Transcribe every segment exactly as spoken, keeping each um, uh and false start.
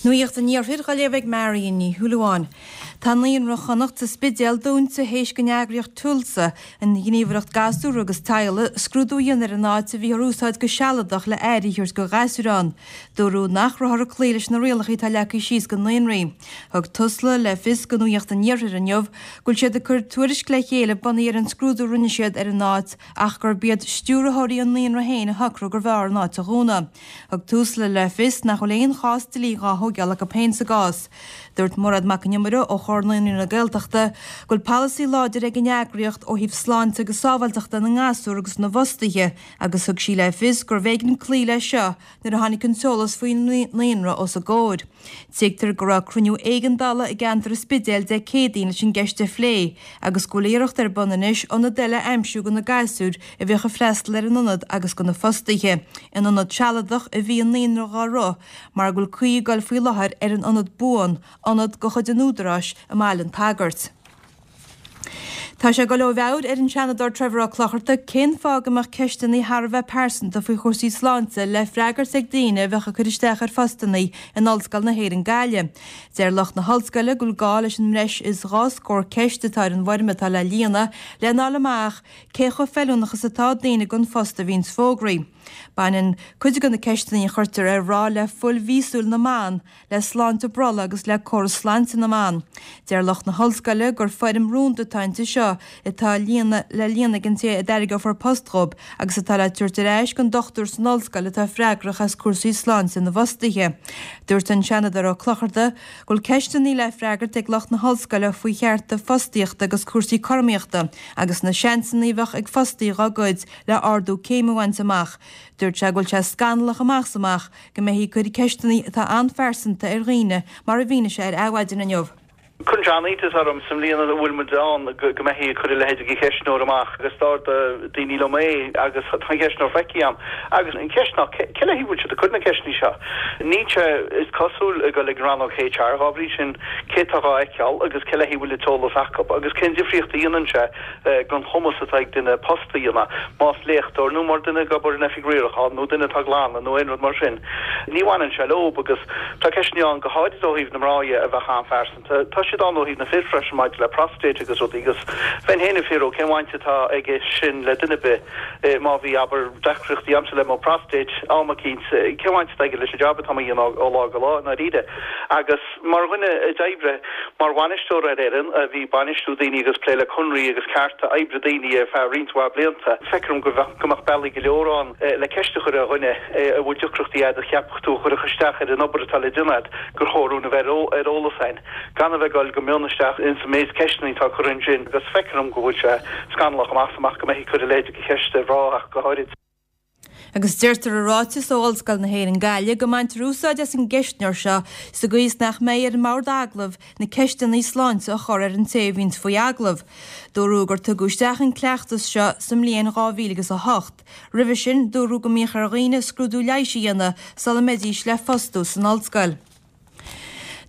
Nuacht an Iarthair á léamh ag Marion Ní Shúilleabháin. Tá Naíonra Chonnacht sa Spidéal dúnta théis don eagraíocht Tusla an ghníomhaireacht gasúr agus teaghlaigh scrúdú a dhéanamh ar an áit a bhí ar úsáid go sealadach le aire a thabhairt do ghasúir ann. Dúradh nach rabhthar ag cloí leis na rialacha atá leagtha síos do naíonraí. Thug Tusla le fios do Nuacht an Iarthair inniu go bhfuil siad ag cur tuairisc le chéile bunaithe ar an scrúdú a rinne siad ar an áit ach gurb iad stiúrthóirí an naíonra féin a shocraigh gurbh fhearr an áit a dhúnadh. Thug Tusla le fios nach bhfuil aon chás dlí dhá thógáil acu féin sa gcás. Dúirt Mairéad Mac an Iomaire ó Chomhar Naíonraí na Gaeltachta go bhfuil polasaí láidir ag an eagraíocht ó thaobh sláinte agus sábháilteachta na ngasúr agus na bhfostaithe agus thug sí le fios gurbh éigean cloí leis seo nuair a tháinig an t-eolas faoin naíonra os a gcomhair. Tuigtear go raibh cruinniú éigeandála i gceantar an Spidéil Dé Céadaoin leis an gceist a phlé agus go bhfuil iarracht ar bun anois ionad eile a aimsiú do na gasúir a bheadh ag freastal ar an ionad agus do na fostaithe. In ionad sealadach a bhí an naíonra dhá rith mar go bhfuil caoi ag dul faoi láthair ar an ionad buan, ionad de chuid an Údaráis i mBaile an tSagairt. Tá sé ag dul ó mheabhair ar an Seanadóir Trevor Ó Clochartaigh cén fáth go mbeadh ceisteanna thar a bheith pearsanta faoi chúrsaí sláinte le freagairt ag daoine a bheadh ag cur isteach ar phostanna in Ollscoil na hÉireann Gaillimh. Deir lucht na hollscoile go bhfuil gá leis an mbreis is dhá scór ceist atá ar an bhfoirm atá le líonadh lena fháil amach cé chomh feiliúnach is atá daoine don phost a bhíonns fógraithe. Baineann cuid de na ceisteanna a chuirtear ar mhná le fuil mhíosúil na mban, le sláinte brollaigh agus le córas sláinte na mban. Deir lucht na hollscoile gur foirm rúnda atá inti seo atá líonadh le líonadh ag an té a dtairgeofar post dhób agus atá le tabhairt ar ais don dochtúir san ollscoil atá freagrach as cúrsaí sláinte na bhfostaithe. Dúirt an Seanadóir Ó Clochartaigh go bhfuil ceisteanna le freagairt ag lucht na hollscoile faoi chearta fostaíochta agus cúrsaí cothromaíochta agus na seansanna a bheadh ag fostaí dhá gcuid le ardú céime a bhaint amach. Dúirt sé go bhfuil sé scannalach amach is amach go mbeifí ag cur ceisteanna atá an-phearsanta ar dhaoine mar a mhínigh sé ar Adhmhaidin inniu. Cuireann sé an-iontas orm sa mbliain a bhfuil muid ann go mbeifí ag cur a leithéid de cheistneoir amach agus d'ordaigh daoine liom é agus tá an ceistneoir feicthe agam agus an cheist ná cé le haghaidh a bhfuil siad ag cur na ceisteanna seo? Níl sé is cosúil ag dul ag an rannóg HR dhá bhrí sin cé atá dhá fheiceáil agus cé le haghaidh a bhfuil an t-eolas acu agus cén difríocht a dhéanann sé don chumas atá ag duine post a dhéanamh más léachtóir nó mar duine ag obair in oifig riaracháin nó duine atá ag glanadh nó aon rud mar sin. Ní bhaineann sé leo agus tá ceisteanna ann go háirid ó thaobh na mná dhe a bheadh an-phearsanta. Tá siad ann ó thaobh na fir freisin maidir le próstate agus rudaí agus bheinn féin ag fiafraí cén bhaint atá aige sin le duine ar bith má bhí abair deacrachtaí agamsa le mo prostate am eicínt cén bhaint atá aige leis an job atá mé a dhéanamh ó lá go lá i ndáiríre agus mar dhuine a d'oibrigh mar bhainisteoir ar fhoireann a bhí bainistiú daoine agus plé le conraí agus cearta oibre daoine ar feadh roinnt mhaith blianta feictear dom go go mbeadh bealaí go leor ann le ceist a chur ar dhuine a bhfuil deacrachtaí agat a cheapfadh tú a chuirfeadh isteach ar an obair atá le déanamh agat gur chóir dúinn a bheith ar eolas againn gan a bheith ag dul go mion isteach ins an méid ceisteanna atá curtha ansin agus feictear dom go bhfuil sé scannalach amach is amach go mbeifí ag cur a leithéid de cheist ar mhná ach go háirid. Agus deirtear i ráiteas ó Ollscoil na hÉireann Gaillimh go mbaintear úsáid as an gceistneoir seo sa gcaoi is nach mbeidh ar an mbord agallaimh na ceisteanna sláinte a chur ar an té a bhíonns faoi agallamh. Dúradh gur tugadh isteach an cleachtas seo sa mbliain dhá mhíle agus a hocht. Roimhe sin, dúradh go mbíodh ar dhaoine scrúdú leighis a dhéanamh sula mbeidís le fostú san ollscoil.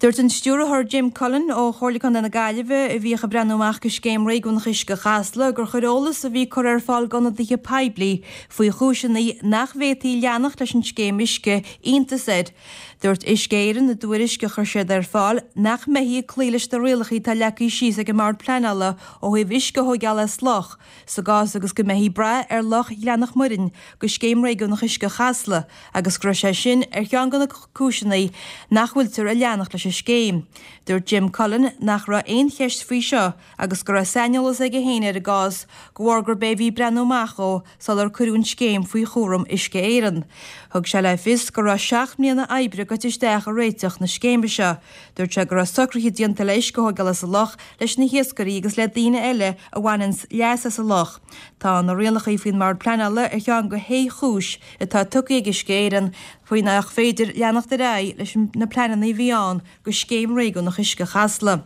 Dúirt an Stiúrthóir Jim Cullen ó Chomhairle Contae na Gaillimhe, a bhíodh ag breathnú amach go scéim réigiúnach uisce Chasla, gur chuir eolas a bhí curtha ar fáil d'ionadaithe poiblí faoi chúiseanna nach bhféadfaí leanacht leis an scéim uisce iontas air. Dúirt Uisce Éireann i dtuairisc a chuir siad ar fáil nach mbeifí ag cloí leis na rialacha atá leagtha síos ag an mBord Pleanála ó thaobh uisce a thógáil as loch sa gcás agus go mbeifí ag brath ar Loch Ghleann Mhuirinn go scéim réigiúnach uisce Chasla agus go raibh sé sin ar cheann de na cúiseanna nach bhfuiltear ag leanacht leis an scéim. Dúirt Jim Cullen nach raibh aon cheist faoi seo agus go raibh saineolas aige féin ar an gcás de bharr gurb é a bhí ag breathnú amach dhó sular cuireadh an scéim faoi chúram Uisce Éireann. Thug sé le fios go raibh seacht mbliana oibre goite isteach i réiteach na scéime seo. Dúirt sé go raibh socruithe déanta le uisce a thógáil as an loch leis na hiascairí agus le daoine eile a bhaineanns leas as an loch. Tá na rialacha faoin mBord Pleanála ar cheann de shé chúis atá tugtha ag Uisce Éireann faoi nach féidir leanacht ar aghaidh leis na pleananna a bhí ann go scéim réigiúnach uisce Chasla.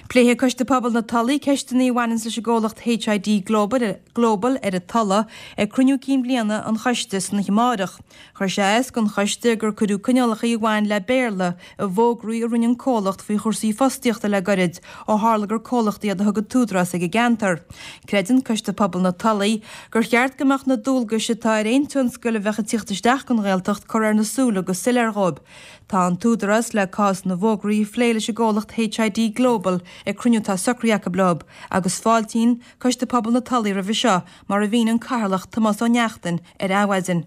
Pléifidh Coiste Pobail na Tulaí ceisteanna a bhaineann leis an gcomhlacht HID Global, Global ar an Tulaigh ag cruinniú cinn bhliana an choiste san oíche amárach. Chuir sé as don choiste gur cuireadh coinníollacha a bhain le Béarla i bhfógraí a rinne an comhlacht faoi chúrsaí fostaíochta le gairid ó tharla gur comhlacht iad a thug an t-údarás ag an gceantar. Creideann Coiste Pobail na Tulaí gur cheart go mbeadh na dualgais atá ar aon tionscal a bheadh ag tíocht isteach don Ghaeltacht curtha ar na súile go soiléir dhóibh. Tá an t-údarás le cás na bhfógraí a phlé leis an gcomhlacht HID Global ag cruinniú atá socraithe acu leo, agus fáiltíonn Coiste Pobail na Tulaí roimhe seo, mar a mhínigh an Cathaoirleach Tomás Ó Neachtain ar Adhmhaidin.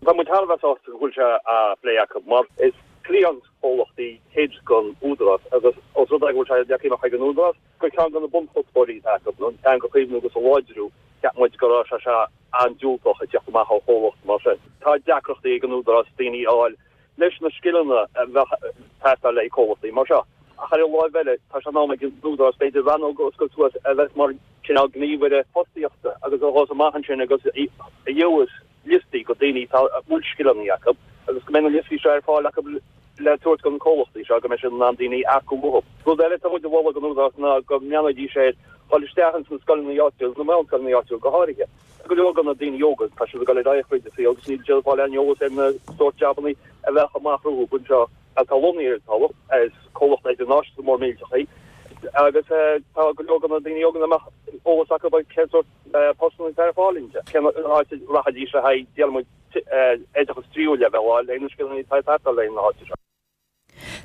Tá muid thar a bheith sásta go bhfuil sé á phlé acu mar is cliantchomhlacht é HID don Údarás agus os rud é go bhfuil sé leagtha amach ag an Údarás gur ceann de na bunchuspóirí atá acu an teanga a chaomhnú agus a láidriú, cheap muid go raibh sé seo an-diúltach ag teacht amach ó chomhlacht mar sin. Tá deacrachtaí ag an Údarás daoine a fháil leis na scileanna a bheadh ag teastáil le comhlachtaí mar seo. Ach ar an láimh eile, tá sé in am ag an Údarás b'fhéidir rannóg a oscailt suas a bheas mar cineál gníomhaire fostaíochta agus a ghabhfas amach ansin agus a gheobhas liostaí de daoine a bhfuil scileanna acu agus go mbeidh na liostaí seo ar fáil acu le tabhairt do na comhlachtaí seo go mbeidh siad in ann daoine a earcú uathu. Rud eile atá muid a mholadh don Údarás ná go mbreathnóidís ar dhul isteach ins na scoileanna áitiúil, na meánscoileanna áitiúil go háirithe. Go leor de na daoine óga, tá siad ag dul ar aghaidh fríd an saol agus níl siad ag fáil aon eolas ar na sórt jabannaí a bheadh amach rompu anseo atá lonnaithe ar an Tulach, is comhlacht idirnáisiúnta mór millteach é agus tá go leor de na daoine óga nach mbeadh eolas acu ar cén sórt postanna atá ar fáil inti, cén áit a rachaidís le haghaidh, déarfaidh muid, oideachas tríú leibhéal a fháil le na scileanna atá ag teastáil le haghaidh na háite seo.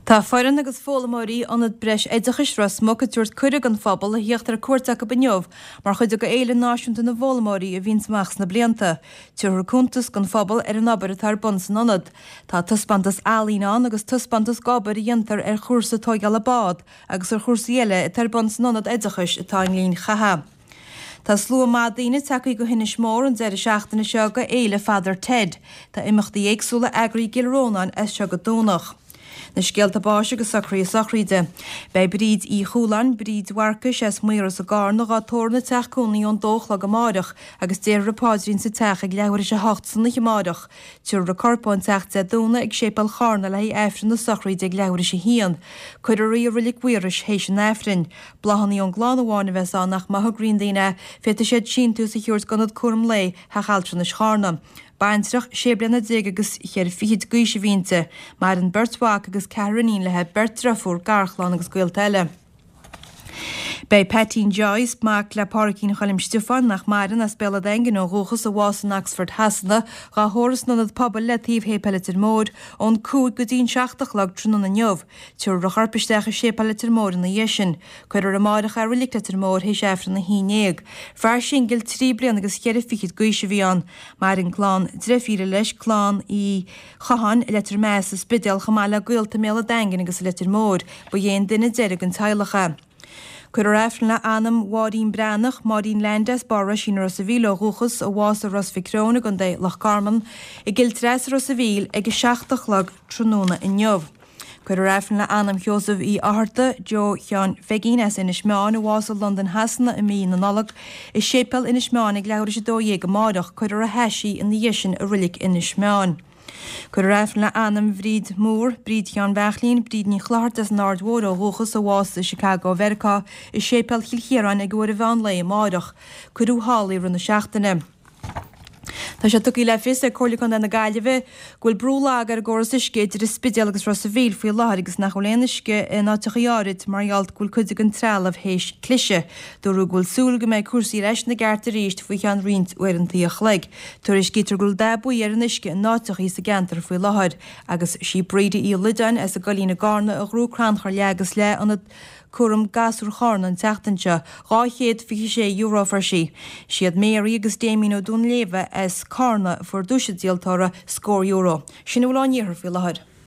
Tá foireann agus foghlaimeoirí Ionad Breis Oideachais Ros Muc ag tabhairt cuireadh don phobal a thíocht ar cuairt acu inniu mar chuid de Fhéile Náisiúnta na bhFoghlaimeoirí a bhíonns amach sna blianta. Tabharfar cuntas don phobal ar an obair atá ar bun san ionad. Tá taispeántas ealaíne ann agus taispeántas d'obair a dhéantar ar chúrsa tóigeála bád agus ar chúrsaí eile atá ar bun san ionad oideachais atá i nGleann Chatha. Tá slua maith daoine tagtha go hInis Mór an deireadh seachtaine seo go Fhéile Father Ted. Tá imeachtaí éagsúla eagraithe i gCill Rónáin as seo go Domhnach. Na scéalta báis agus socruithe sochraide. Beidh Bríd Uí Chualáin, Bríd Mharcais as Maoras i gCarna, dhá tórramh ina teach cónaí ón dó a chlog amáireach agus déarfar an paidrín sa teach ag leathuair théis a hocht san oíche amáireach. Tabharfar a corp ón teach Dé Domhnaigh ag Séipéal Charna le haghaidh Aifreann na sochraide ag leathuair théis a haon. Cuirfear í i Roilig Mhaorais théis an Aifrinn. Bláthanna ón gclann amháin a bheas ann ach má thograíonn daoine é, féadfaidh siad síntiús a thabhairt d'Ionad Cúram Lae Theach Altranais Charna. Baintreach sé bliana déag agus cheithre fichid d'aois a bhí inti. Maireann beirt mhac agus ceathrar iníon léi, beirt driofúr, garchlann agus gaolta eile. Beidh Peaitín Joyce, mac le Pádraicín Choilm Stiofáin, nach maireann, as Béal an Daingin ó dhúchas, a bhásaigh in Oxford Shasana, dhá thórramh san Ionad Pobail le taobh Shéipéal Leitir Móir, ón cúig go dtí an seacht a chlog tráthnóna inniu. Tabharfar a chorp isteach i Séipéal Leitir Móir ina dhiaidh sin. Cuirfear amáireach é i Roilig Leitir Móir théis Aifreann a haon déag. Fear singil trí bliana agus cheithre fichid d'aois a bhí ann. Maireann clann dreifíre leis, clann Uí Chatháin i Leitir Meáin sa Spidéal chomh maith le gaolta i mBéal an Daingin agus i Leitir Móir. Ba é an duine deiridh den teaghlach é. Cuirfear Aifreann le anam Mháirín Breathnach, Máirín Leainde as Barr Roisín i Ros a' Mhíl ó dhúchas, a bhásaigh i Ros Mhic Threoin i gContae Loch Garman, i gCill Treasa Ros a' Mhíl ag a seacht a chlog tráthnóna inniu. Cuirfear Aifreann le anam Sheosaimh Uí Fhátharta, Joe Sheáin Pheigín as Inis Meáin, a bhásaigh i Londain Shasana i mí na Nollag, i Séipéal Inis Meáin ag leathuair théis a dó dhéag amáireach. Cuirfear ar a hais í ina dhiaidh sin i Roilig Inis Meáin. Cuirfear Aifreann le anam Bhríd Mór, Bríd Sheáin Bheachlín, Bríd Ní Chlochartaigh as an Aird Mhóir ó dhúchas, a bhásaigh i Chicago Mheiriceá, i Séipéal Chill Chiaráin ag uair an mheán lae amáireach. Cuireadh thall í i rith na seachtaine. Tá sé tugtha le fios ag Comhairle Contae na Gaillimhe go bhfuil brú lag ar an gcóras uisce idir an Spidéal agus Ros a' Mhíl faoi láthair agus nach bhfuil aon uisce in áiteachaí áirid mar gheall go bhfuil cuid den trealamh théis cliseadh. Dúradh go bhfuil súil go mbeidh cúrsaí ar ais ina gceart arís faoi cheann roinnt uaireantaí a chloig. Tuairiscítear go bhfuil dath buí ar an uisce in áiteachaí sa gceantar faoi láthair agus sí Bríde Uí Loideáin as an gCoillín i gCarna a ghnóthaigh crannchur leath agus leath Ionad Cúram Gasúr Chárna an tseachtain seo, dhá chéad fiche sé euro a fuair sí. Siad Mary agus Damien Ó Dúnléibhe as Cárna a fuair duais an díoltóra, scór euro. Sin a bhfuil ón iarthar faoi láthair.